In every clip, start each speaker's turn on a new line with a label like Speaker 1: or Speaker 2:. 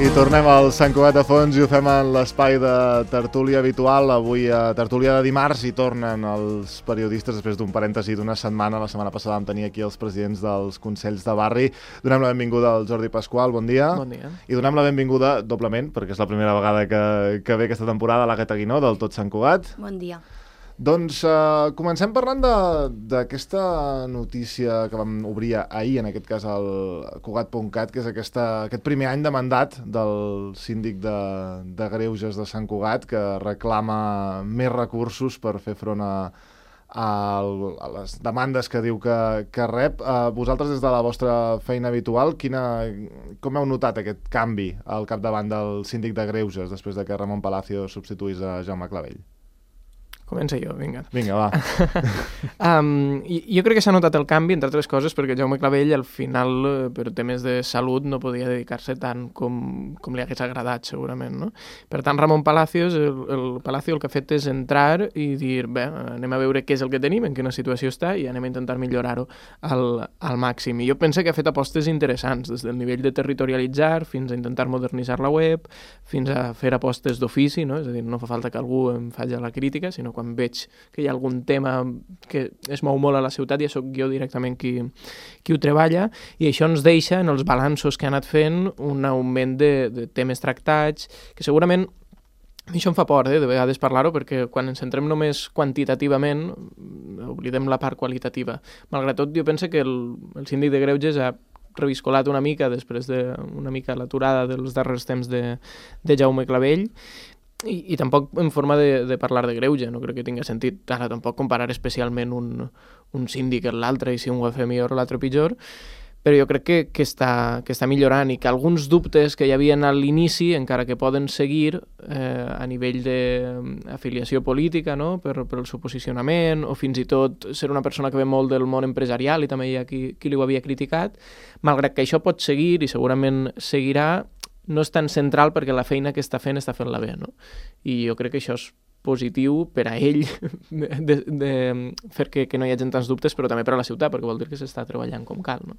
Speaker 1: I tornem al Sant Cugat de Fons i ho fem en l'espai de tertúlia habitual. Avui a tertúlia de dimarts hi tornen els periodistes després d'un parèntesi d'una setmana. La setmana passada vam tenir aquí els presidents dels Consells de Barri. Donem la benvinguda al Jordi Pasqual, bon dia.
Speaker 2: Bon dia.
Speaker 1: I donem la benvinguda doblement, perquè és la primera vegada que ve aquesta temporada, a l'Àgata Guinó, del Tot Sant Cugat.
Speaker 3: Bon dia.
Speaker 1: Doncs comencem parlant d'aquesta notícia que vam obrir ahir, en aquest cas al Cugat.cat, que és aquest primer any de mandat del síndic de Greuges de Sant Cugat, que reclama més recursos per fer front a les demandes que diu que rep. Vosaltres, des de la vostra feina habitual, com heu notat aquest canvi al capdavant del síndic de Greuges després de que Ramon Palacio substituís a Jaume Clavell?
Speaker 2: Comença jo, vinga.
Speaker 1: Vinga, va.
Speaker 2: Jo crec que s'ha notat el canvi, entre altres coses, perquè Jaume Clavell, al final, per temes de salut, no podia dedicar-se tant com li hagués agradat, segurament, no? Per tant, Ramon Palacio, el que ha fet és entrar i dir, bé, anem a veure què és el que tenim, en quina situació està, i anem a intentar millorar-ho al màxim. I jo penso que ha fet apostes interessants, des del nivell de territorialitzar, fins a intentar modernitzar la web, fins a fer apostes d'ofici, no? És a dir, no fa falta que algú em faci la crítica, sinó quan veig que hi ha algun tema que es mou molt a la ciutat, ja sóc jo directament qui ho treballa, i això ens deixa, en els balanços que ha anat fent, un augment de temes tractats, que segurament a mi això em fa por, de vegades parlar-ho, perquè quan ens centrem només quantitativament oblidem la part qualitativa. Malgrat tot, jo penso que el síndic de Greuges ha reviscolat una mica després d'una mica l'aturada dels darrers temps de Jaume Clavell, i tampoc en forma de parlar de greuge, no crec que tingui sentit ara tampoc comparar especialment un síndic amb l'altre, i si un ho fa millor o l'altre pitjor, però jo crec que està millorant, i que alguns dubtes que hi havia a l'inici, encara que poden seguir a nivell d'afiliació política, no? per el seu posicionament, o fins i tot ser una persona que ve molt del món empresarial, i també hi ha qui li ho havia criticat, malgrat que això pot seguir, i segurament seguirà, no és tan central perquè la feina que està fent-la bé, no? I jo crec que això és positiu per a ell de fer que no hi hagi tants dubtes, però també per a la ciutat, perquè vol dir que s'està treballant com cal, no?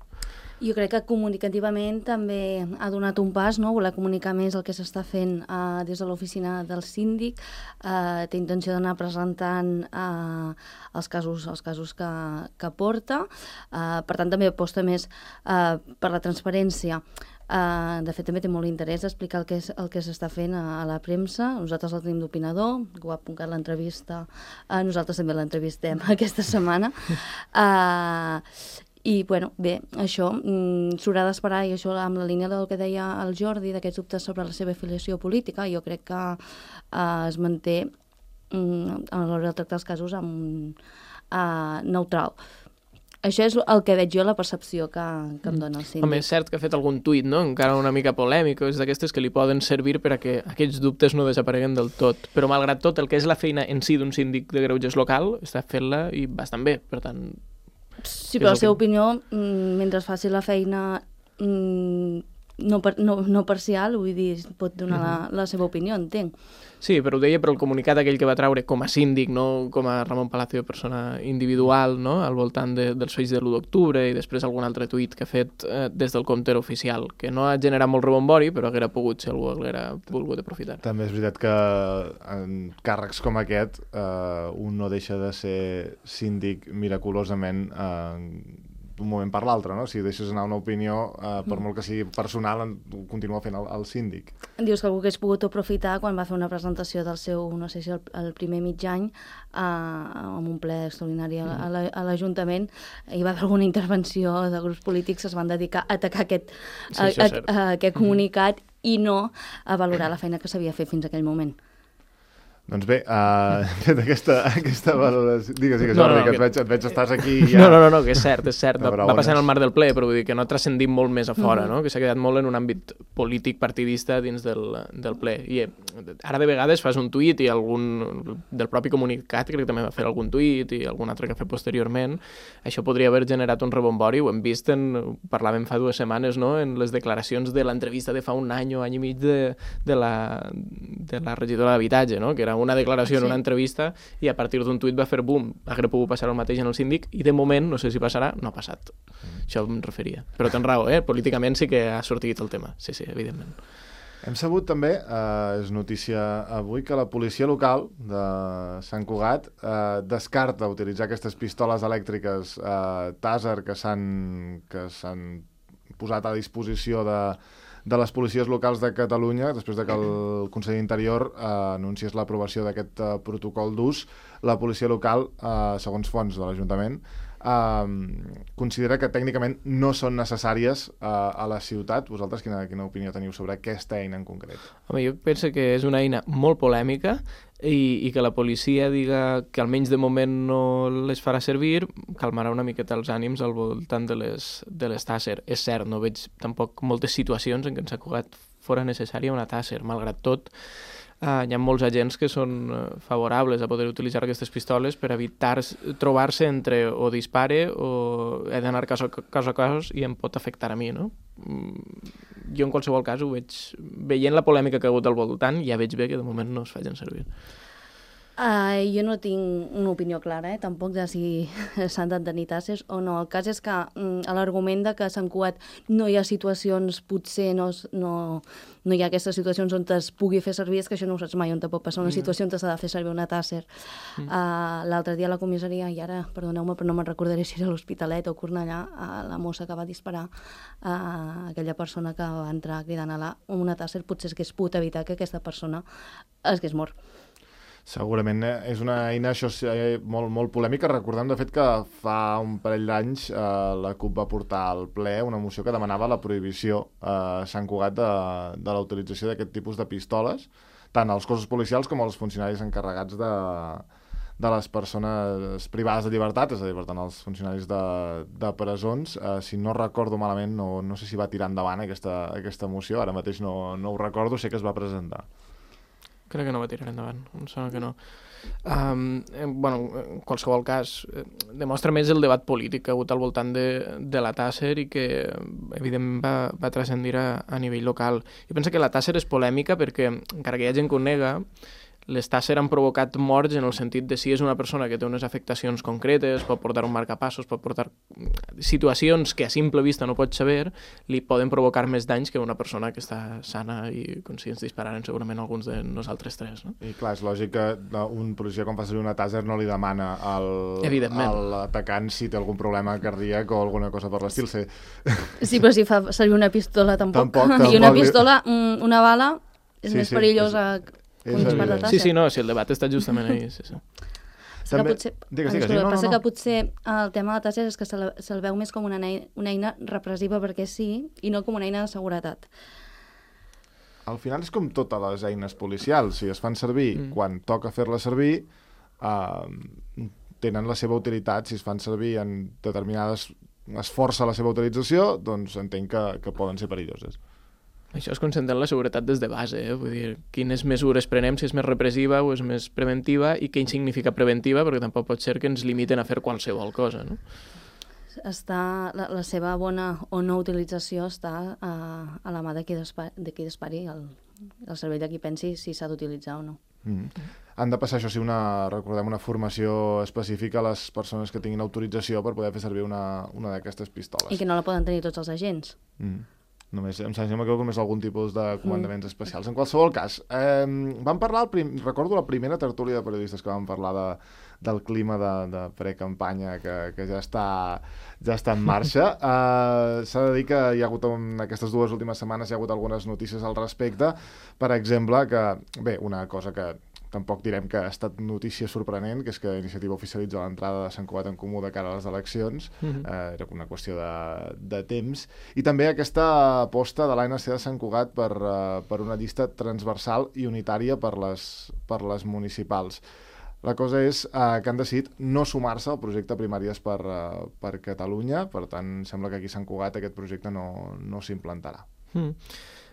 Speaker 3: Jo crec que comunicativament també ha donat un pas, no? Voler comunicar més el que s'està fent des de l'oficina del síndic, té intenció d'anar presentant els casos que porta, per tant també aposta més per la transparència. De fet, també té molt interès explicar el que s'està fent a la premsa. Nosaltres el tenim d'opinador, Cugat.cat l'entrevista, nosaltres també l'entrevistem aquesta setmana. I, bueno, bé, això s'haurà d'esperar, i això amb la línia del que deia el Jordi, d'aquests dubtes sobre la seva afiliació política, jo crec que es manté a l'hora de tractar els casos neutral. Això és el que veig jo, la percepció que em dona el síndic.
Speaker 2: Home, és cert que ha fet algun tuit, no? Encara una mica polèmic, és d'aquestes que li poden servir per a que aquests dubtes no desapareguen del tot. Però, malgrat tot, el que és la feina en si d'un síndic de Greuges local, està fent-la i bastant bé, per tant...
Speaker 3: Sí, però la seva opinió, mentre faci la feina no parcial, vull dir, pot donar la seva opinió, entenc.
Speaker 2: Sí, però ho deia per el comunicat aquell que va treure com a síndic, no com a Ramon Palacio, persona individual, no? Al voltant dels fets de l'1 d'octubre, i després algun altre tuit que ha fet des del compte oficial, que no ha generat molt rebombori, però hauria pogut, si algú haguera volgut aprofitar.
Speaker 1: També és veritat que en càrrecs com aquest un no deixa de ser síndic miraculosament d'un moment per l'altre, no? Si deixes anar una opinió, per molt que sigui personal, continua fent el síndic.
Speaker 3: Dius que algú hagués pogut aprofitar quan va fer una presentació del seu, no sé si el primer mig any, amb un ple extraordinari a l'Ajuntament, hi va haver alguna intervenció de grups polítics que es van dedicar a atacar aquest comunicat i no a valorar la feina que s'havia fet fins a aquell moment.
Speaker 1: Doncs bé, fet aquesta valoració... Digues, Jordi, que et veig, estàs aquí
Speaker 2: ja... No, que és cert. Va passar en el marc del ple, però vull dir que no ha transcendit molt més a fora, no? Que s'ha quedat molt en un àmbit polític partidista dins del ple. I ara de vegades fas un tuit i algun del propi comunicat, crec que també va fer algun tuit, i algun altre que ha fet posteriorment. Això podria haver generat un rebombori, ho hem vist, parlàvem fa 2 setmanes, no? En les declaracions de l'entrevista de fa un any o any i mig de la regidora d'Habitatge, no? Que era una declaració en una entrevista, i a partir d'un tuit va fer boom. Hauria pogut passar el mateix en el síndic, i de moment, no sé si passarà, no ha passat. Això em referia. Però tens raó, políticament sí que ha sortit el tema. Sí, evidentment.
Speaker 1: Hem sabut també, és notícia avui, que la policia local de Sant Cugat descarta utilitzar aquestes pistoles elèctriques Taser que s'han posat a disposició de les policies locals de Catalunya, després de que el Consell d'Interior anunciés l'aprovació d'aquest protocol d'ús. La policia local, segons fonts de l'Ajuntament, considera que tècnicament no són necessàries a la ciutat. Vosaltres quina opinió teniu sobre aquesta eina en concret?
Speaker 2: Home, jo penso que és una eina molt polèmica i que la policia diga que almenys de moment no les farà servir calmarà una miqueta els ànims al voltant de les Taser. És cert, no veig tampoc moltes situacions en què en Sant Cugat fora necessària una Taser. Malgrat tot, hi ha molts agents que són favorables a poder utilitzar aquestes pistoles per evitar trobar-se entre o dispare o he d'anar cas a cas i em pot afectar a mi, no? Jo en qualsevol cas ho veig, veient la polèmica que ha hagut al voltant, ja veig bé que de moment no es facin servir.
Speaker 3: Jo no tinc una opinió clara, tampoc de si s'han de tenir tasses o no. El cas és que l'argument de que a Sant Cugat no hi ha situacions, potser no hi ha aquestes situacions on es pugui fer servir, és que això no ho saps mai on te pot passar una situació on s'ha de fer servir una Taser. L'altre dia a la comissaria, i ara, perdoneu-me, però no me'n recordaré si era l'Hospitalet o Cornellà, la mossa que va disparar aquella persona que va entrar cridant a una Taser, potser s'hagués pogut evitar que aquesta persona hagués mort.
Speaker 1: Segurament és una eina molt, molt polèmica. Recordem, de fet, que fa un parell d'anys la CUP va portar al ple una moció que demanava la prohibició a Sant Cugat de la utilització d'aquest tipus de pistoles, tant als cossos policials com als funcionaris encarregats de les persones privades de llibertat, és a dir, per tant, els funcionaris de presons. Si no recordo malament, no sé si va tirar endavant aquesta moció, ara mateix no ho recordo, sé que es va presentar.
Speaker 2: Crec que no va tirar endavant, em sembla que no. En qualsevol cas, demostra més el debat polític que ha hagut al voltant de la Taser i que, evidentment, va transcendir a nivell local. Jo penso que la Taser és polèmica perquè, encara que hi ha gent que ho nega, les Taser han provocat morts en el sentit de si és una persona que té unes afectacions concretes, pot portar un marcapassos, pot portar situacions que a simple vista no pots saber, li poden provocar més danys que una persona que està sana i com si ens dispararen segurament alguns de nosaltres tres. No?
Speaker 1: I clar, és lògic que un policia quan fa servir una Taser no li demana a l'atacant si té algun problema cardíac o alguna cosa per l'estil.
Speaker 3: Sí, però si fa servir una pistola tampoc. I una pistola, una bala, és més perillosa que un dispar de Taser.
Speaker 2: Sí, no, si el debat està justament ahí. Sí.
Speaker 1: També...
Speaker 3: Passa que potser el tema de la Taser és que se'l veu més com una eina repressiva perquè sí, i no com una eina de seguretat.
Speaker 1: Al final és com totes les eines policials. Si es fan servir quan toca fer-les servir, tenen la seva utilitat. Si es fan servir en determinades... es força la seva utilització, doncs entenc que poden ser perilloses.
Speaker 2: Això es concentra en la seguretat des de base, vull dir, quines mesures prenem, si és més repressiva o és més preventiva, i què significa preventiva, perquè tampoc pot ser que ens limiten a fer qualsevol cosa, no?
Speaker 3: La seva bona o no utilització està a la mà de qui dispari, el cervell de qui pensi si s'ha d'utilitzar o no.
Speaker 1: Han de passar, això sí, recordem, una formació específica a les persones que tinguin autorització per poder fer servir una d'aquestes pistoles.
Speaker 3: I que no la poden tenir tots els agents.
Speaker 1: Només, em sembla que només algun tipus de comandaments especials. En qualsevol cas, vam parlar, recordo la primera tertúlia de periodistes que vam parlar del clima de precampanya que ja està en marxa. S'ha de dir que hi ha hagut, en aquestes 2 últimes setmanes, hi ha hagut algunes notícies al respecte. Per exemple, una cosa que tampoc direm que ha estat notícia sorprenent, que és que Iniciativa oficialitza l'entrada de Sant Cugat en Comú de cara a les eleccions. Era una qüestió de temps. I també aquesta aposta de l'ANC de Sant Cugat per una llista transversal i unitària per les municipals. La cosa és que han decidit no sumar-se al projecte Primàries per Catalunya, per tant, sembla que aquí a Sant Cugat aquest projecte no s'implantarà.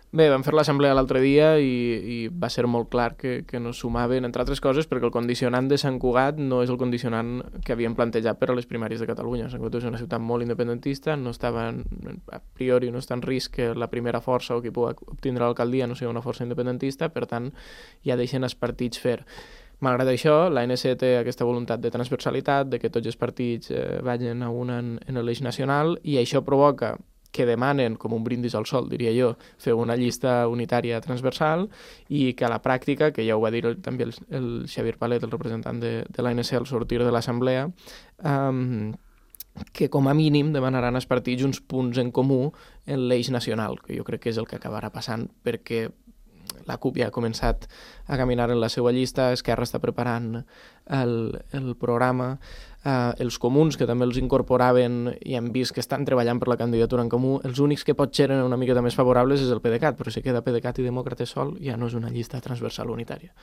Speaker 2: Bé, vam fer l'assemblea l'altre dia i va ser molt clar que no sumaven, entre altres coses, perquè el condicionant de Sant Cugat no és el condicionant que havien plantejat per a les primàries de Catalunya. Sant Cugat és una ciutat molt independentista, no estava, a priori no està en risc que la primera força o qui pugui obtindre l'alcaldia no sigui una força independentista, per tant, ja deixen els partits fer. Malgrat això, l'ANC té aquesta voluntat de transversalitat, de que tots els partits vagin a una en l'eix nacional, i això provoca que demanen, com un brindis al sol, diria jo, fer una llista unitària transversal i que a la pràctica, que ja ho va dir també el Xavier Palet, el representant de l'ANC al sortir de l'assemblea, que com a mínim demanaran als partits uns punts en comú en l'eix nacional, que jo crec que és el que acabarà passant perquè la CUP ja ha començat a caminar en la seva llista, Esquerra està preparant el programa, els comuns, que també els incorporaven i hem vist que estan treballant per la candidatura en comú, els únics que potser eren una miqueta més favorables és el PDeCAT, però si queda PDeCAT i Demòcrates sol ja no és una llista transversal unitària.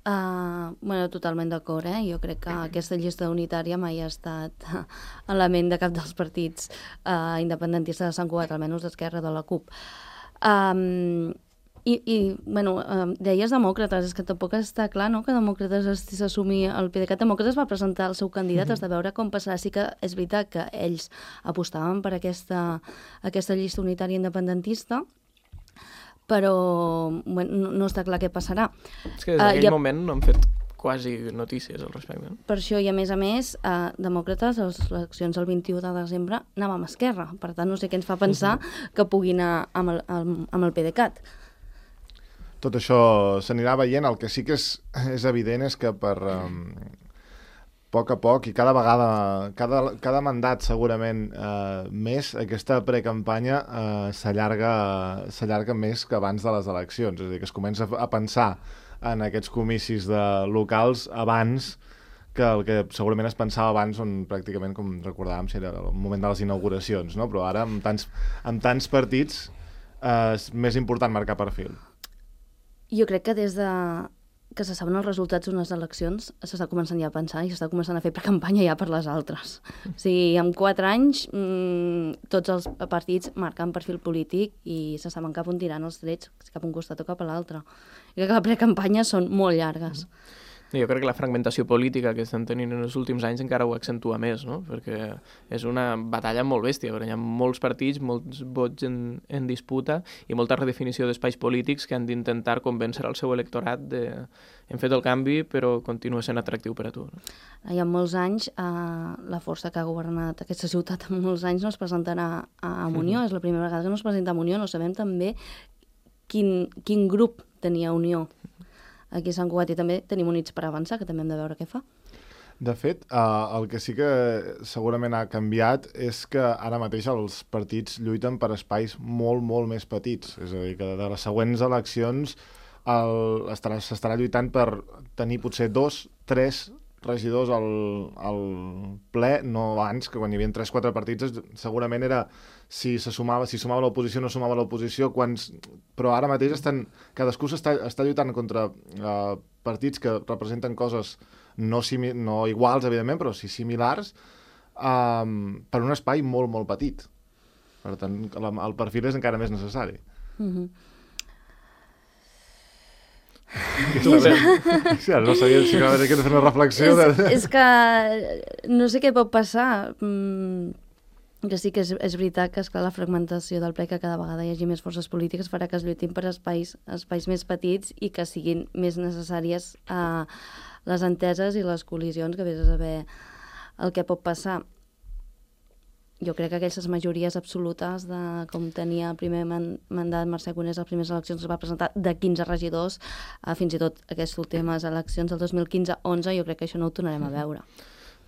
Speaker 3: Bueno, totalment d'acord, Jo crec que aquesta llista unitària mai ha estat a la ment de cap dels partits independentistes de Sant Cugat, almenys d'Esquerra, de la CUP. Bueno, deies Demòcrates, és que tampoc està clar, no?, que Demòcrates s'assumi el PDeCAT. Demòcrates va presentar el seu candidat, has de veure com passarà. Sí que és veritat que ells apostaven per aquesta llista unitària independentista, però bueno, no està clar què passarà.
Speaker 2: És que des d'aquell moment no han fet quasi notícies al respecte.
Speaker 3: Per això, i a més, Demòcrates, a les eleccions el 21 de desembre, anava amb Esquerra. Per tant, no sé què ens fa pensar que pugui anar amb el PDeCAT.
Speaker 1: Tot això s'anirà veient. El que sí que és evident és que per poc a poc i cada vegada, cada mandat segurament més, aquesta precampanya s'allarga més que abans de les eleccions. És a dir, que es comença a pensar en aquests comicis locals abans que el que segurament es pensava abans, on pràcticament, com recordàvem, era el moment de les inauguracions, no? Però ara, amb tants partits, és més important marcar perfil.
Speaker 3: Jo crec que des de que se saben els resultats d'unes eleccions s'està començant ja a pensar i s'està començant a fer precampanya ja per les altres. O sigui, en 4 anys tots els partits marquen perfil polític i se saben cap on tiran els trets, cap a un costat o cap a l'altre. I crec que la precampanya són molt llargues.
Speaker 2: Jo crec que la fragmentació política que estan tenint en els últims anys encara ho accentua més, no? Perquè és una batalla molt bèstia, perquè hi ha molts partits, molts vots en disputa i molta redefinició d'espais polítics que han d'intentar convèncer el seu electorat de hem fet el canvi però continua sent atractiu per a tu. No?
Speaker 3: Hi ha molts anys, la força que ha governat aquesta ciutat en molts anys no es presentarà a Unió, és la primera vegada que no es presenta a Unió, no sabem també quin grup tenia Unió aquí a Sant Cugat, i també tenim Units per Avançar, que també hem de veure què fa.
Speaker 1: De fet, el que sí que segurament ha canviat és que ara mateix els partits lluiten per espais molt, molt més petits. És a dir, que de les següents eleccions s'estarà lluitant per tenir potser 2, 3 regidors al ple, no abans, que quan hi havia 3-4 partits segurament era si sumava l'oposició o no sumava l'oposició, però ara mateix cadascú està lluitant contra partits que representen coses no iguals, evidentment, però sí similars, per un espai molt, molt petit. Per tant, el perfil és encara més necessari. No sabia si va haver de fer una reflexió.
Speaker 3: És que no sé què pot passar. Que sí que és veritat que, esclar, la fragmentació del ple, que cada vegada hi hagi més forces polítiques, farà que es lluitin per espais més petits i que siguin més necessàries les enteses i les col·lisions, que vés a saber el que pot passar. Jo crec que aquestes majories absolutes, com tenia el primer mandat Mercè Conés a les primeres eleccions, es va presentar de 15 regidors, fins i tot aquestes últimes eleccions del 2015-11, jo crec que això no ho tornarem a veure.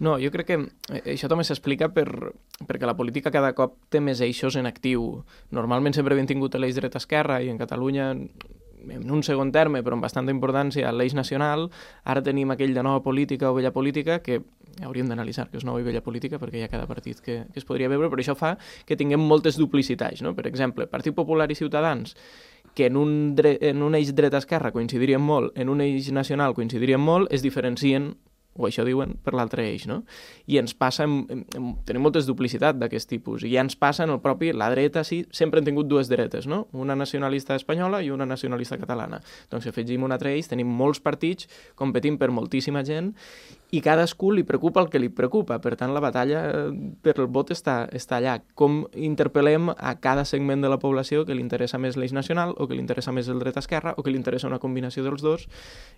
Speaker 2: No, jo crec que això també s'explica perquè la política cada cop té més eixos en actiu. Normalment sempre hem tingut l'eix dreta-esquerra i en Catalunya, en un segon terme, però amb bastanta importància, l'eix nacional. Ara tenim aquell de nova política o vella política que hauríem d'analitzar que és nova i vella política perquè hi ha cada partit que es podria veure, però això fa que tinguem moltes duplicitats, no? Per exemple, Partit Popular i Ciutadans, que en un eix dreta-esquerra coincidirien molt, en un eix nacional coincidirien molt, es diferencien, o això diuen, per l'altre eix, no? I ens passa, tenim moltes duplicitats d'aquest tipus, i ja ens passa en el propi, la dreta, sí, sempre hem tingut dues dretes, no? Una nacionalista espanyola i una nacionalista catalana. Doncs si afegim un altre eix, tenim molts partits competint per moltíssima gent, i cadascú li preocupa el que li preocupa. Per tant, la batalla per el vot està allà. Com interpel·lem a cada segment de la població que li interessa més l'eix nacional, o que li interessa més el dret-esquerra, o que li interessa una combinació dels dos,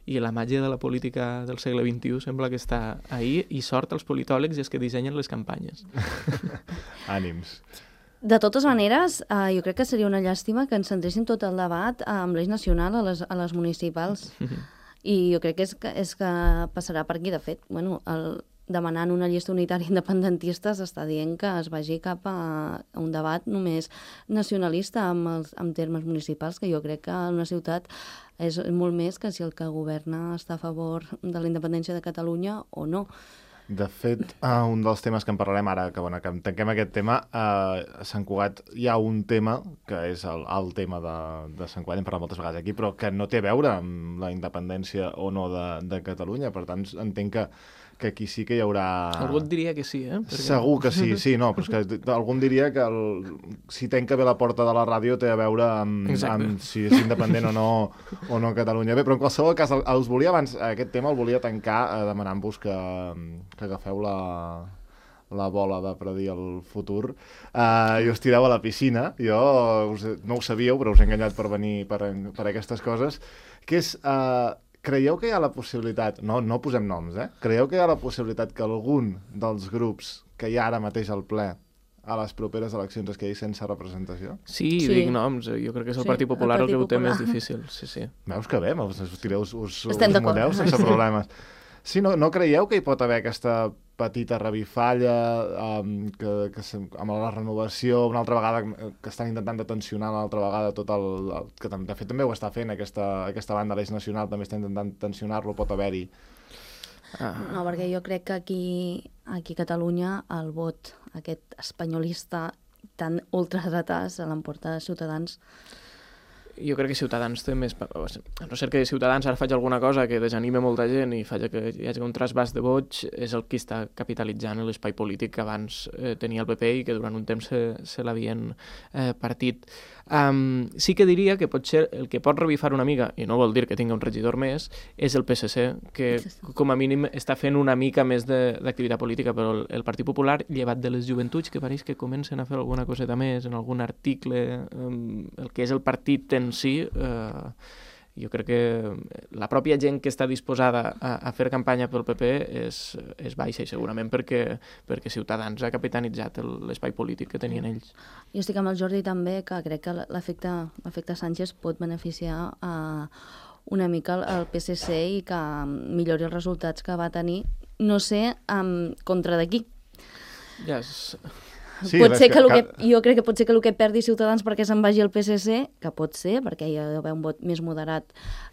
Speaker 2: i la màgia de la política del segle XXI sembla que està ahí, i sort als politòlegs i els que dissenyen les campanyes.
Speaker 1: Ànims.
Speaker 3: De totes maneres, jo crec que seria una llàstima que ens centréssim tot el debat amb l'eix nacional a les municipals. I jo crec que és que passarà per aquí. De fet, demanant una llista unitària independentista s'està dient que es vagi cap a un debat només nacionalista amb termes municipals, que jo crec que en una ciutat és molt més que si el que governa està a favor de la independència de Catalunya o no.
Speaker 1: De fet, un dels temes que en parlarem ara, que tanquem aquest tema, a Sant Cugat hi ha un tema, que és el tema de Sant Cugat, hem parlat moltes vegades aquí, però que no té a veure amb la independència o no de Catalunya. Per tant, entenc que aquí sí que hi haurà...
Speaker 2: Algú et diria que sí, eh? Perquè...
Speaker 1: Segur que sí, no, però és que algú diria que si tanca bé la porta de la ràdio té a veure amb si és independent o no Catalunya. Bé, però en qualsevol cas, els volia abans, aquest tema el volia tancar demanant-vos que agafeu la bola de predir el futur i us tireu a la piscina. Jo no ho sabíeu, però us he enganyat per venir per aquestes coses, que és... Creieu que hi ha la possibilitat, no posem noms, creieu que hi ha la possibilitat que algun dels grups que hi ha ara mateix al ple a les properes eleccions es quedi sense representació?
Speaker 2: Sí, dic noms, jo crec que és el Partit Popular el que ho té més difícil. Sí.
Speaker 1: Veus que bé, us mudeu sense problemes. Sí, no creieu que hi pot haver aquesta petita revifalla que amb la renovació una altra vegada que estan intentant de tensionar una altra vegada tot que de fet també ho està fent aquesta banda l'Eix Nacional, també està intentant tensionar-lo, pot haver-hi.
Speaker 3: No, perquè jo crec que aquí a Catalunya el vot aquest espanyolista tan ultradretà se l'emporta Ciutadans.
Speaker 2: Jo crec que Ciutadans té més... A no ser que Ciutadans ara faci alguna cosa que desanime molta gent i faci que hi hagi un trasbàs de vots, és el que està capitalitzant l'espai polític que abans tenia el PP i que durant un temps se l'havien partit. Sí que diria que potser el que pot revifar una mica, i no vol dir que tingui un regidor més, és el PSC, que com a mínim està fent una mica més d'activitat política, però el Partit Popular, llevat de les joventuts, que pareix que comencen a fer alguna coseta més en algun article, el que és el partit en si, jo crec que la pròpia gent que està disposada a fer campanya pel PP és baixa, i segurament perquè Ciutadans ha capitanitzat l'espai polític que tenien ells.
Speaker 3: Jo estic amb el Jordi també, que crec que l'efecte Sánchez pot beneficiar una mica el PSC i que millori els resultats que va tenir, no sé, contra de qui.
Speaker 2: Ja
Speaker 1: Sí,
Speaker 3: pot ser jo crec que pot ser que el que perdi Ciutadans perquè se'n vagi al PSC, que pot ser, perquè hi ha d'haver un vot més moderat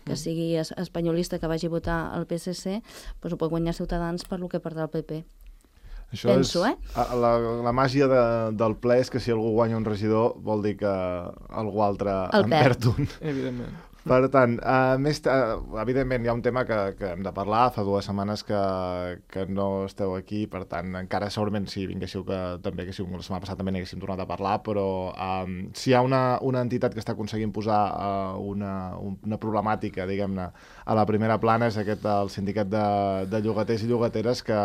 Speaker 3: que sigui espanyolista que vagi a votar al PSC, però ho pot guanyar Ciutadans per lo que perdrà el PP.
Speaker 1: Això penso, la màgia del ple és que si algú guanya un regidor vol dir que algú altre en perd un.
Speaker 2: Evidentment.
Speaker 1: Per tant, evidentment hi ha un tema que hem de parlar. Fa 2 setmanes que no esteu aquí, per tant, encara segurament si vinguéssiu la setmana passada també n'haguéssim tornat a parlar, però si hi ha una entitat que està aconseguint posar una problemàtica, diguem-ne, a la primera plana és el sindicat de llogaters i llogateres, que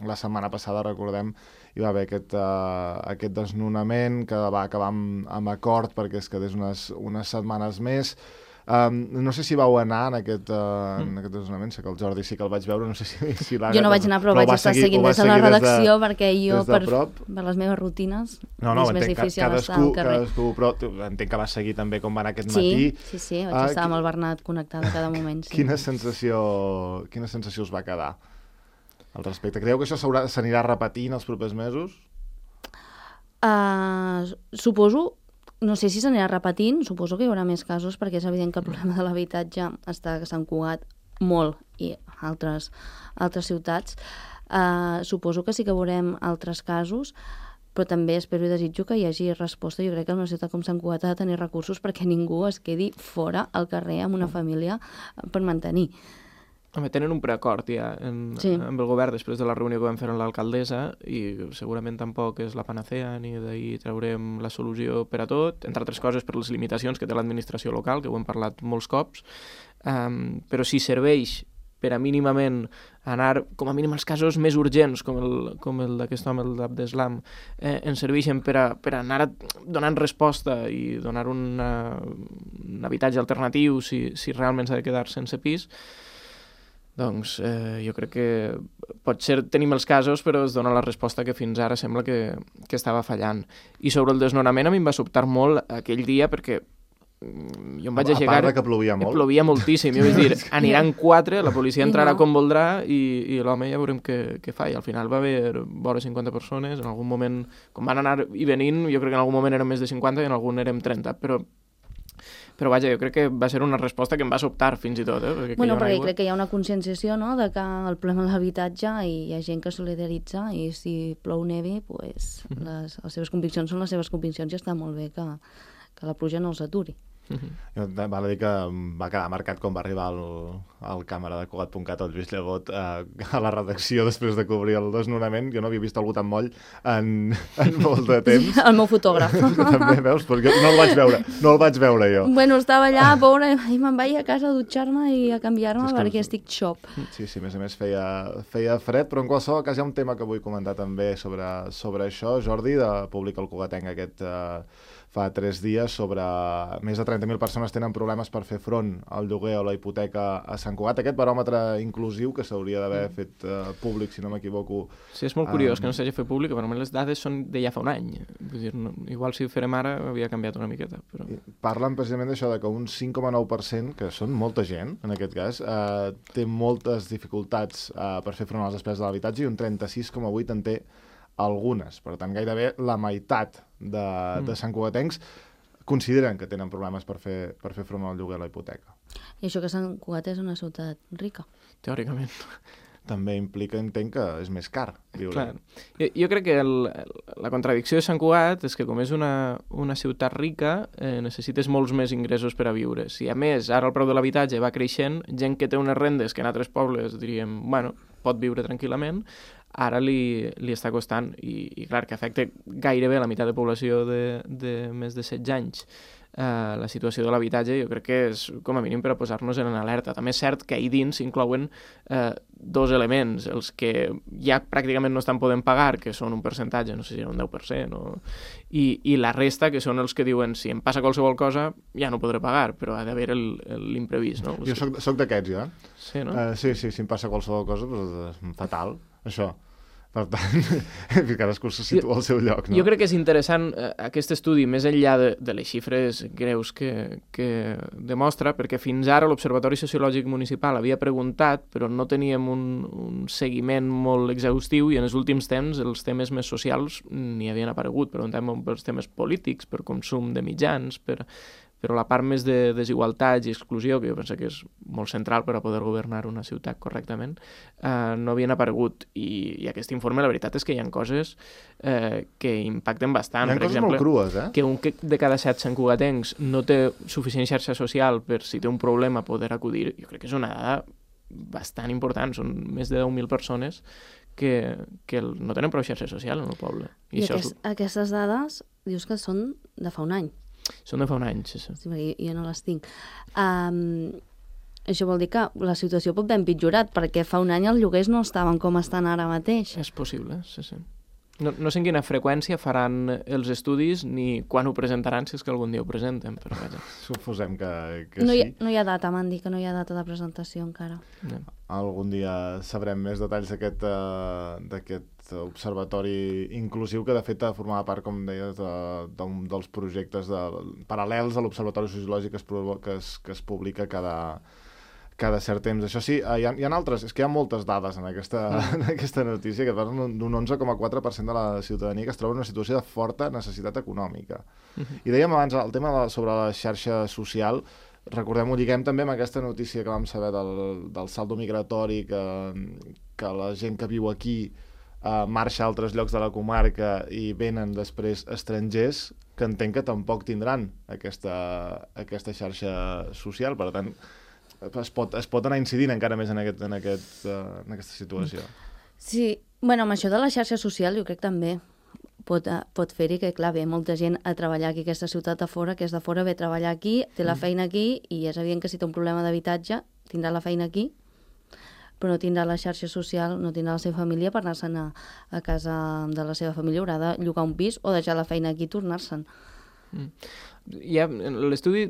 Speaker 1: la setmana passada, recordem, hi va haver aquest desnonament que va acabar amb acord perquè es quedés unes setmanes més. No sé si vau anar en aquest desnonament, sé que el Jordi sí que el vaig veure, no sé si l'Àgata...
Speaker 3: Jo no vaig anar, però vaig estar seguint des de la redacció, perquè jo, per les meves rutines, és més difícil estar al carrer.
Speaker 1: Però entenc que vas seguir també com va anar aquest matí.
Speaker 3: Sí, vaig estar amb el Bernat connectada cada moment.
Speaker 1: Quina sensació us va quedar al respecte? Creieu que això s'anirà repetint els propers mesos?
Speaker 3: Suposo. No sé si s'anirà repetint, suposo que hi haurà més casos, perquè és evident que el problema de l'habitatge està a Sant Cugat molt i altres ciutats. Suposo que sí que veurem altres casos, però també espero i desitjo que hi hagi resposta. Jo crec que una ciutat com Sant Cugat ha de tenir recursos perquè ningú es quedi fora al carrer amb una família per mantenir.
Speaker 2: Home, tenen un preacord ja amb el govern després de la reunió que vam fer amb l'alcaldessa i segurament tampoc és la panacea ni d'ahir traurem la solució per a tot, entre altres coses per les limitacions que té l'administració local, que ho hem parlat molts cops, però si serveix per a mínimament anar, com a mínim els casos més urgents, com el d'aquest home, el d'Abdeslam, ens serveixen per a anar donant resposta i donar un habitatge alternatiu si realment s'ha de quedar sense pis. Doncs jo crec que potser tenim els casos, però es dona la resposta que fins ara sembla que estava fallant. I sobre el desnonament a mi em va sobtar molt aquell dia perquè jo em vaig aixecar...
Speaker 1: A part que plovia molt.
Speaker 2: Plovia moltíssim. Jo vaig dir, aniran 4, la policia entrarà com voldrà i l'home ja veurem què fa. I al final va haver vora 50 persones. En algun moment, com van anar i venint, jo crec que en algun moment érem més de 50 i en algun érem 30, però vaja, jo crec que va ser una resposta que em va sobtar fins i tot.
Speaker 3: Perquè crec que hi ha una conscienciació, no?, de que el problema de l'habitatge i hi ha gent que solidaritza i si plou neve, pues, les seves conviccions són les seves conviccions i està molt bé que la pluja no els aturi.
Speaker 1: Val a dir que va quedar marcat quan va arribar el càmera de Cugat.cat, el Lluís Llegot, a la redacció després de cobrir el desnonament. Jo no havia vist algú tan moll en molt de temps.
Speaker 3: El meu fotògraf.
Speaker 1: També, veus? Perquè no el vaig veure jo.
Speaker 3: Bueno, estava allà, pobre, i me'n vaig a casa a dutxar-me i a canviar-me perquè estic xop.
Speaker 1: Sí, a més a més feia fred, però en qualsevol cas hi ha un tema que vull comentar també sobre això, Jordi, de Publica el Cugatenc aquest fa 3 dies, sobre més de 30.000 persones tenen problemes per fer front al lloguer o la hipoteca a Sant Cugat. Aquest baròmetre inclusiu que s'hauria d'haver fet públic, si no m'equivoco.
Speaker 2: Sí, és molt curiós que no s'hagi fet públic, però les dades són de ja fa un any. Vull dir, igual si ho farem ara havia canviat una miqueta. Però...
Speaker 1: Parlen precisament d'això, de que un 5,9%, que són molta gent, en aquest cas, té moltes dificultats per fer front a les despeses de l'habitatge i un 36,8% en té algunes. Per tant, gairebé la meitat de santcugatencs consideren que tenen problemes per fer front al lloguer a la hipoteca.
Speaker 3: I això que Sant Cugat és una ciutat rica.
Speaker 2: Teòricament.
Speaker 1: També implica, entenc, que és més car viure.
Speaker 2: Clar. Jo crec que la contradicció de Sant Cugat és que com és una ciutat rica, necessites molts més ingressos per a viure. Si a més ara el preu de l'habitatge va creixent, gent que té unes rendes que en altres pobles diríem, bueno, pot viure tranquil·lament, ara li està costant i clar, que afecta gairebé la meitat de població de més de 16 anys. La situació de l'habitatge jo crec que és com a mínim per a posar-nos en alerta. També és cert que ahí dins s'inclouen 2 elements, els que ja pràcticament no estan podent pagar, que són un percentatge, no sé si era un 10%, i la resta, que són els que diuen si em passa qualsevol cosa ja no podré pagar, però ha d'haver l'imprevist. No?
Speaker 1: Jo soc d'aquests, ja.
Speaker 2: Sí, no?
Speaker 1: Sí, si em passa qualsevol cosa, doncs fatal, això. Per tant, cadascú se situa al seu lloc, no?
Speaker 2: Jo crec que és interessant aquest estudi, més enllà de les xifres greus que demostra, perquè fins ara l'Observatori Sociològic Municipal havia preguntat, però no teníem un seguiment molt exhaustiu i en els últims temps els temes més socials n'hi havien aparegut. Preguntem pels temes polítics, per consum de mitjans, però la part més de desigualtats i exclusió, que jo penso que és molt central per a poder governar una ciutat correctament, no havien aparegut. I aquest informe, la veritat és que hi ha coses que impacten bastant.
Speaker 1: Hi ha coses molt crues, eh?
Speaker 2: Que un de cada 7 santcugatencs no té suficient xarxa social per, si té un problema, poder acudir. Jo crec que és una dada bastant important. Són més de 10.000 persones que no tenen prou xarxa social en el poble.
Speaker 3: I aquestes dades dius que són de fa un any.
Speaker 2: Són de fa un any, sí.
Speaker 3: Sí, jo no les tinc. Això vol dir que la situació pot haver empitjorat, perquè fa un any els lloguers no estaven com estan ara mateix.
Speaker 2: És possible, sí. No sé en quina freqüència faran els estudis ni quan ho presentaran, si és que algun dia ho presenten, però vaja.
Speaker 1: Suposem que
Speaker 3: no
Speaker 1: sí.
Speaker 3: No hi ha data, m'han dit que no hi ha data de presentació encara.
Speaker 1: Algun dia sabrem més detalls d'aquest observatori inclusiu, que de fet formava part, com deies, dels projectes paral·lels a l'Observatori Sociològic que es publica cada cert temps. Això sí, hi ha altres, és que hi ha moltes dades en aquesta notícia que parlen d'un 11,4% de la ciutadania que es troba en una situació de forta necessitat econòmica. I dèiem abans el tema sobre la xarxa social. Recordem-ho, lliguem també amb aquesta notícia que vam saber del saldo migratori, que la gent que viu aquí marxa a altres llocs de la comarca i venen després estrangers, que entenc que tampoc tindran aquesta xarxa social. Per tant, es pot anar incidint encara més en aquesta situació.
Speaker 3: Sí, bueno, amb això de la xarxa social jo crec també pot fer-hi que, clar, ve molta gent a treballar aquí a aquesta ciutat de fora, que és de fora, ve a treballar aquí, té la feina aquí, i és evident que si té un problema d'habitatge tindrà la feina aquí, però no tindrà la xarxa social, no tindrà la seva família per anar-se'n a casa de la seva família, haurà de llogar un pis o deixar la feina aquí i tornar-se'n.
Speaker 2: L'estudi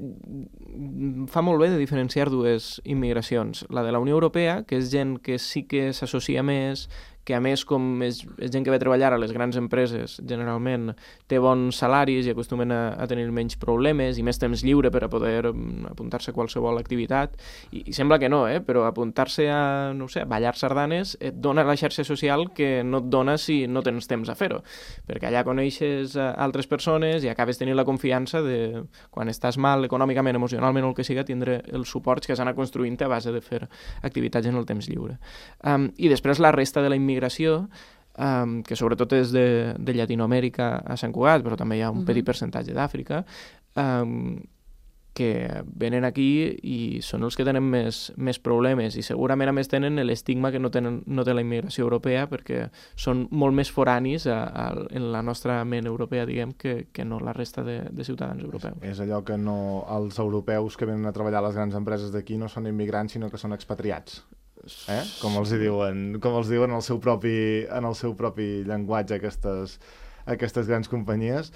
Speaker 2: fa molt bé de diferenciar dues immigracions. La de la Unió Europea, que és gent que sí que s'associa més, que a més, com és gent que ve a treballar a les grans empreses, generalment té bons salaris i acostumen a tenir menys problemes i més temps lliure per a poder apuntar-se a qualsevol activitat. I sembla que no, però apuntar-se a, no sé, a ballar sardanes et dona la xarxa social que no et dona si no tens temps a fer-ho, perquè allà coneixes altres persones i acabes tenint la confiança de, quan estàs mal econòmicament, emocionalment o el que siga, tindre els suports que has anat construint a base de fer activitats en el temps lliure. I després la resta de la immigració, que sobretot és de Llatinoamèrica a Sant Cugat, però també hi ha un petit percentatge d'Àfrica, que venen aquí i són els que tenen més problemes i segurament a més tenen l'estigma que no té la immigració europea perquè són molt més foranis en la nostra ment europea, diguem, que no la resta de ciutadans europeus.
Speaker 1: És allò que no, els europeus que venen a treballar a les grans empreses d'aquí no són immigrants sinó que són expatriats. Com els diuen en el seu propi llenguatge aquestes grans companyies.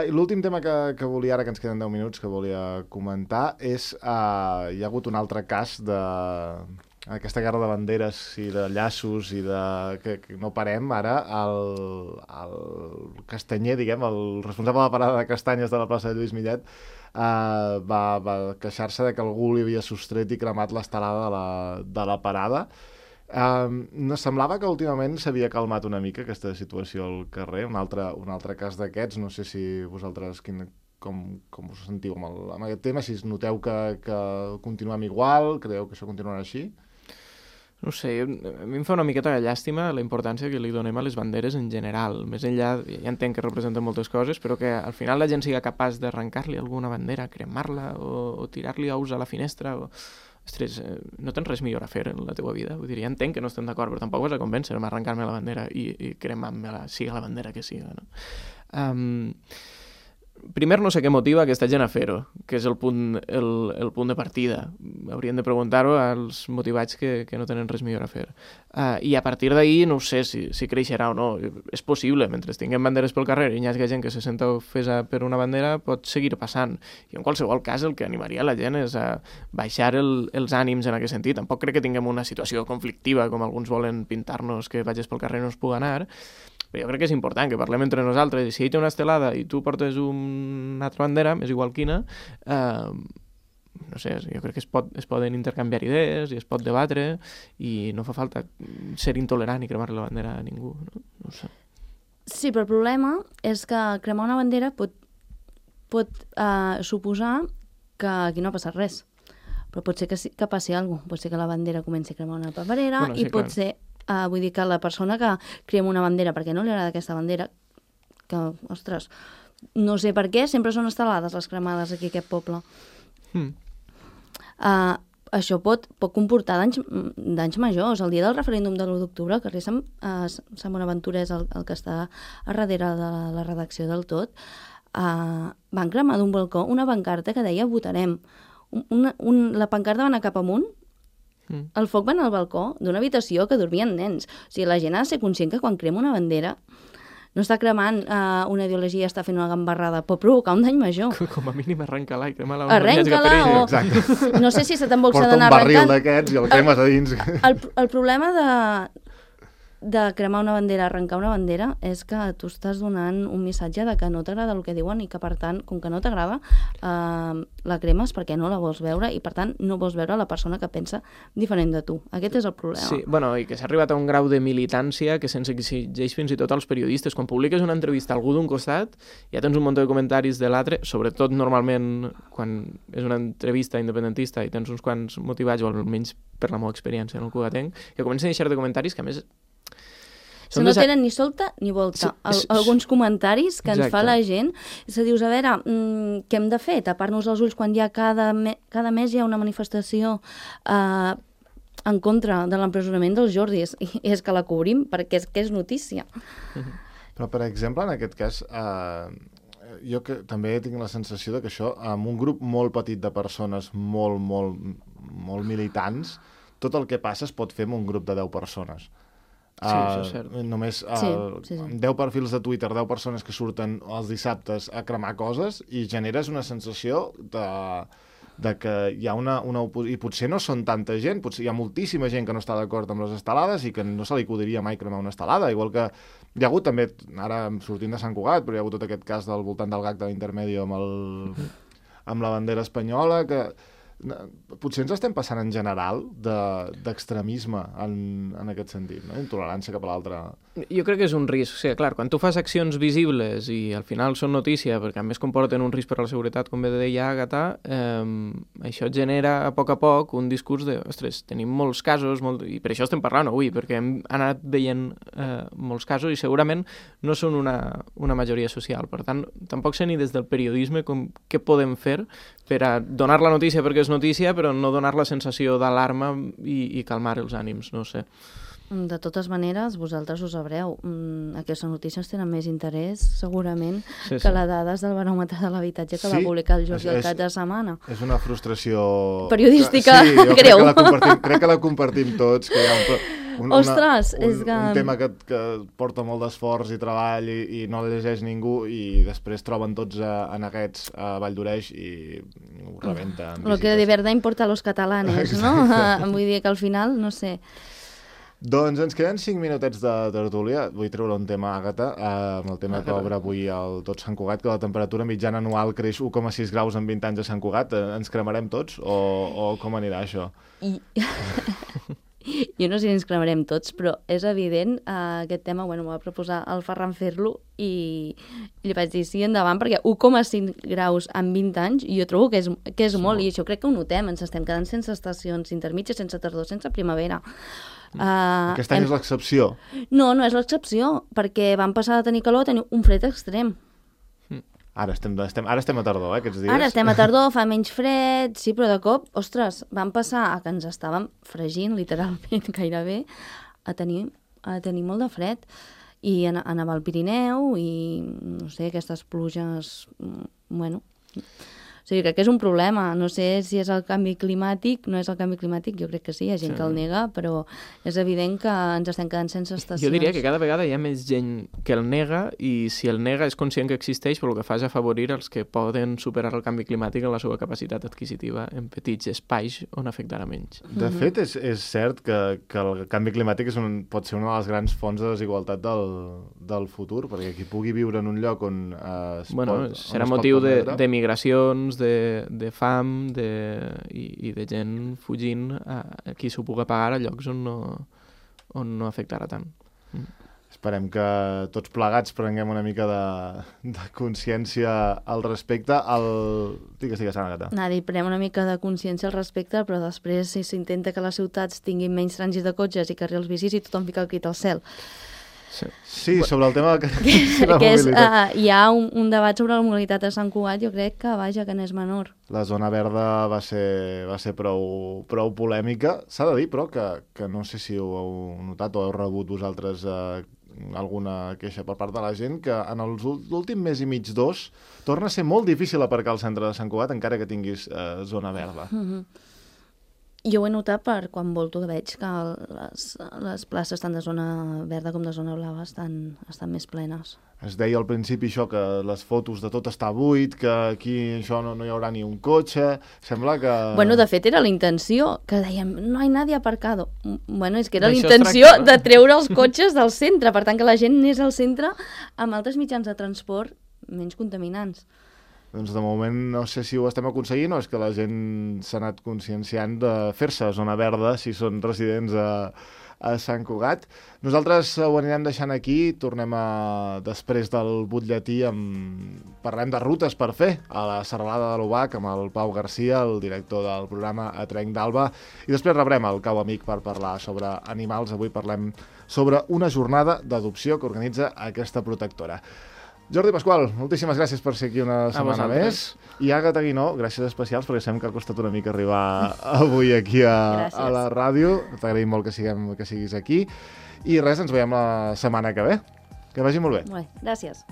Speaker 1: L'últim tema que volia, ara que ens queden 10 minuts, que volia comentar és, hi ha hagut un altre cas d'aquesta guerra de banderes i de llaços i que no parem ara. El castanyer, diguem, el responsable de la parada de castanyes de la plaça de Lluís Millet, va queixar-se de que algú li havia sostret i cremat l'estelada de la parada. No semblava que últimament s'havia calmat una mica aquesta situació al carrer, un altre cas d'aquests. No sé si vosaltres com us sentiu amb aquest tema, si noteu que continuem igual, creieu que això continuarà així?
Speaker 2: No sé, a mi em fa una miqueta de llàstima la importància que li donem a les banderes en general. Més enllà, ja entenc que representen moltes coses, però que al final la gent siga capaç d'arrencar-li alguna bandera, cremar-la o tirar-li ous a la finestra. Ostres, no tens res millor a fer en la teva vida. Vull dir, ja entenc que no estem d'acord, però tampoc vas a convèncer-me a arrencar-me la bandera i cremar-me-la, siga la bandera que siga, no? Primer, no sé què motiva aquesta gent a fer-ho, que és el punt de partida. Haurien de preguntar-ho als motivats que no tenen res millor a fer. I a partir d'ahir no sé si creixerà o no. És possible, mentre tinguem banderes pel carrer i hi hagi gent que se senta ofesa per una bandera, pot seguir passant. I en qualsevol cas el que animaria la gent és a baixar els ànims en aquest sentit. Tampoc crec que tinguem una situació conflictiva, com alguns volen pintar-nos, que vagis pel carrer no es pugui anar. Però jo crec que és important que parlem entre nosaltres, i si ell té una estelada i tu portes una altra bandera, és igual quina, no sé, jo crec que es poden intercanviar idees i es pot debatre i no fa falta ser intolerant i cremar la bandera a ningú, no ho sé.
Speaker 3: Sí, però el problema és que cremar una bandera pot suposar que aquí no ha passat res, però pot ser que passi alguna cosa, pot ser que la bandera comenci a cremar una paperera, bueno, sí, i pot ser... vull dir que la persona que crema una bandera perquè no li agrada aquesta bandera, que, ostres, no sé per què, sempre són estelades les cremades aquí a aquest poble. Això pot comportar danys majors. El dia del referèndum de l'1 d'octubre, el carrer Sant Bonaventura és el que està a darrere de la redacció del Tot, van cremar d'un balcó una pancarta que deia votarem. La pancarta va anar cap amunt. El foc va anar al balcó d'una habitació que dormien nens. O sigui, la gent ha de ser conscient que quan crema una bandera no està cremant una ideologia, està fent una gambarrada, pot provocar un dany major.
Speaker 2: Com a mínim arrenca-la i crema-la.
Speaker 3: Arrenca-la o... Exacte. No sé si se te'n vols d'anar
Speaker 1: Porta
Speaker 3: arrencant.
Speaker 1: un barril d'aquests i el cremes a dins.
Speaker 3: El problema de cremar una bandera, arrencar una bandera, és que tu estàs donant un missatge de que no t'agrada el que diuen i que, per tant, com que no t'agrada, la cremes perquè no la vols veure i, per tant, no vols veure la persona que pensa diferent de tu. Aquest és el problema.
Speaker 2: Sí, bueno, i que s'ha arribat a un grau de militància que se'ns exigeix fins i tot als periodistes. Quan publiques una entrevista a algú d'un costat, ja tens un munt de comentaris de l'altre, sobretot normalment quan és una entrevista independentista i tens uns quants motivats, o almenys per la meva experiència en el cugatenc, que comencen a deixar de comentaris que, a més,
Speaker 3: no tenen ni solta ni volta. Alguns comentaris que ens fa la gent, és que dius, a veure, què hem de fer? Tapar-nos els ulls quan hi ha cada mes hi ha una manifestació en contra de l'empresonament dels Jordis, i és que la cobrim perquè és notícia.
Speaker 1: Però, per exemple, en aquest cas, jo que també tinc la sensació de que això, amb un grup molt petit de persones molt militants, tot el que passa es pot fer amb un grup de 10 persones.
Speaker 2: Sí, això és cert.
Speaker 1: Només
Speaker 3: Sí.
Speaker 1: 10 perfils de Twitter, 10 persones que surten els dissabtes a cremar coses i generes una sensació de que hi ha una i potser no són tanta gent, potser hi ha moltíssima gent que no està d'acord amb les estelades i que no se li acudiria mai cremar una estelada, igual que hi ha hagut també, ara sortint de Sant Cugat, però hi ha hagut tot aquest cas del voltant del gag de l'Intermedio amb la bandera espanyola, que potser ens estem passant en general d'extremisme en aquest sentit, no? Intolerància cap a l'altre.
Speaker 2: Jo crec que és un risc. O sigui, clar, quan tu fas accions visibles i al final són notícia, perquè a més comporten un risc per a la seguretat, com bé deia Àgata, això genera a poc un discurs de, ostres, tenim molts casos, i per això estem parlant avui, perquè hem anat veient molts casos i segurament no són una majoria social. Per tant, tampoc sé ni des del periodisme què podem fer per a donar la notícia perquè és notícia, però no donar la sensació d'alarma i calmar els ànims, no sé.
Speaker 3: De totes maneres, vosaltres ho sabreu, aquestes notícies tenen més interès, segurament, que les dades del baròmetre de l'habitatge que va publicar el Jordi el cap de setmana.
Speaker 1: És una frustració...
Speaker 3: periodística,
Speaker 1: greu. Crec que la compartim tots, que hi ha un tema que porta molt d'esforç i treball i no el llegeix ningú i després troben tots en aquests a Valldoreix i ho rebenta.
Speaker 3: Lo que de verdad importa a los catalanes, no? Vull dir que al final, no sé...
Speaker 1: Doncs ens queden 5 minutets de tertúlia. Vull treure un tema, Àgata, amb el tema que obre avui el Tot Sant Cugat, que la temperatura mitjana anual creix 1,6 graus en 20 anys a Sant Cugat. Ens cremarem tots o com anirà això?
Speaker 3: Jo no sé si ens cremarem tots, però és evident aquest tema, bueno, m'ho va proposar el Ferran fer-lo i li vaig dir sí, endavant, perquè 1,5 graus en 20 anys jo trobo que és molt, i això crec que ho notem, ens estem quedant sense estacions intermitges, sense tardor, sense primavera.
Speaker 1: Aquest any és l'excepció.
Speaker 3: No és l'excepció, perquè vam passar de tenir calor a tenir un fred extrem.
Speaker 1: Ara estem a tardor, aquests dies.
Speaker 3: Ara estem a tardor, fa menys fred, sí, però de cop, ostres, vam passar a que ens estàvem fregint, literalment, gairebé, a tenir molt de fred. I anava al Pirineu i, no sé, aquestes pluges, bueno... O sigui, crec que és un problema. No sé si és el canvi climàtic, no és el canvi climàtic, jo crec que sí, hi ha gent que el nega, però és evident que ens estem quedant sense estacions.
Speaker 2: Jo diria que cada vegada hi ha més gent que el nega i si el nega és conscient que existeix, però el que fa és afavorir els que poden superar el canvi climàtic en la seva capacitat adquisitiva en petits espais on afectarà menys.
Speaker 1: De fet, és cert que el canvi climàtic pot ser una de les grans fonts de desigualtat del futur, perquè qui pugui viure en un lloc on
Speaker 2: serà motiu de migracions, de fam i de gent fugint a qui s'ho pugui pagar a llocs on no afectarà tant.
Speaker 1: Esperem que tots plegats prenguem una mica de consciència al respecte. Digues, Àgata.
Speaker 3: Prenem una mica de consciència al respecte, però després si s'intenta que les ciutats tinguin menys trànsit de cotxes i carrils bicis i tothom fica el crit al cel.
Speaker 1: Sí, sobre el tema de
Speaker 3: la mobilitat. Hi ha un debat sobre la mobilitat a Sant Cugat, jo crec que, vaja, que n'és menor.
Speaker 1: La zona verda va ser prou polèmica. S'ha de dir, però, que no sé si ho heu notat o heu rebut vosaltres alguna queixa per part de la gent, que en l'últim mes i mig, 2, torna a ser molt difícil aparcar al centre de Sant Cugat encara que tinguis zona verda.
Speaker 3: Jo ho he notat per quan volto que veig que les places tant de zona verda com de zona blava estan més plenes.
Speaker 1: Es deia al principi això, que les fotos de tot està buit, que aquí això no hi haurà ni un cotxe, sembla que...
Speaker 3: Bueno, de fet era la intenció, que dèiem, no hi ha nadie aparcado. Bueno, és que era la intenció de treure els cotxes del centre, per tant que la gent anés al centre amb altres mitjans de transport menys contaminants.
Speaker 1: Doncs de moment no sé si ho estem aconseguint o és que la gent s'ha anat conscienciant de fer-se zona verda si són residents a Sant Cugat. Nosaltres ho anirem deixant aquí, tornem després del butlletí, parlem de rutes per fer a la Serralada de l'Obac amb el Pau Garcia, el director del programa A Trenc d'Alba, i després rebrem el Cau Amic per parlar sobre animals. Avui parlem sobre una jornada d'adopció que organitza aquesta protectora. Jordi Pasqual, moltíssimes gràcies per ser aquí una setmana més. I Àgata Guinó, gràcies especials, perquè sabem que ha costat una mica arribar avui aquí a la ràdio. T'agraïm molt que siguis aquí. I res, ens veiem la setmana que ve. Que vagi molt bé.
Speaker 3: Gràcies.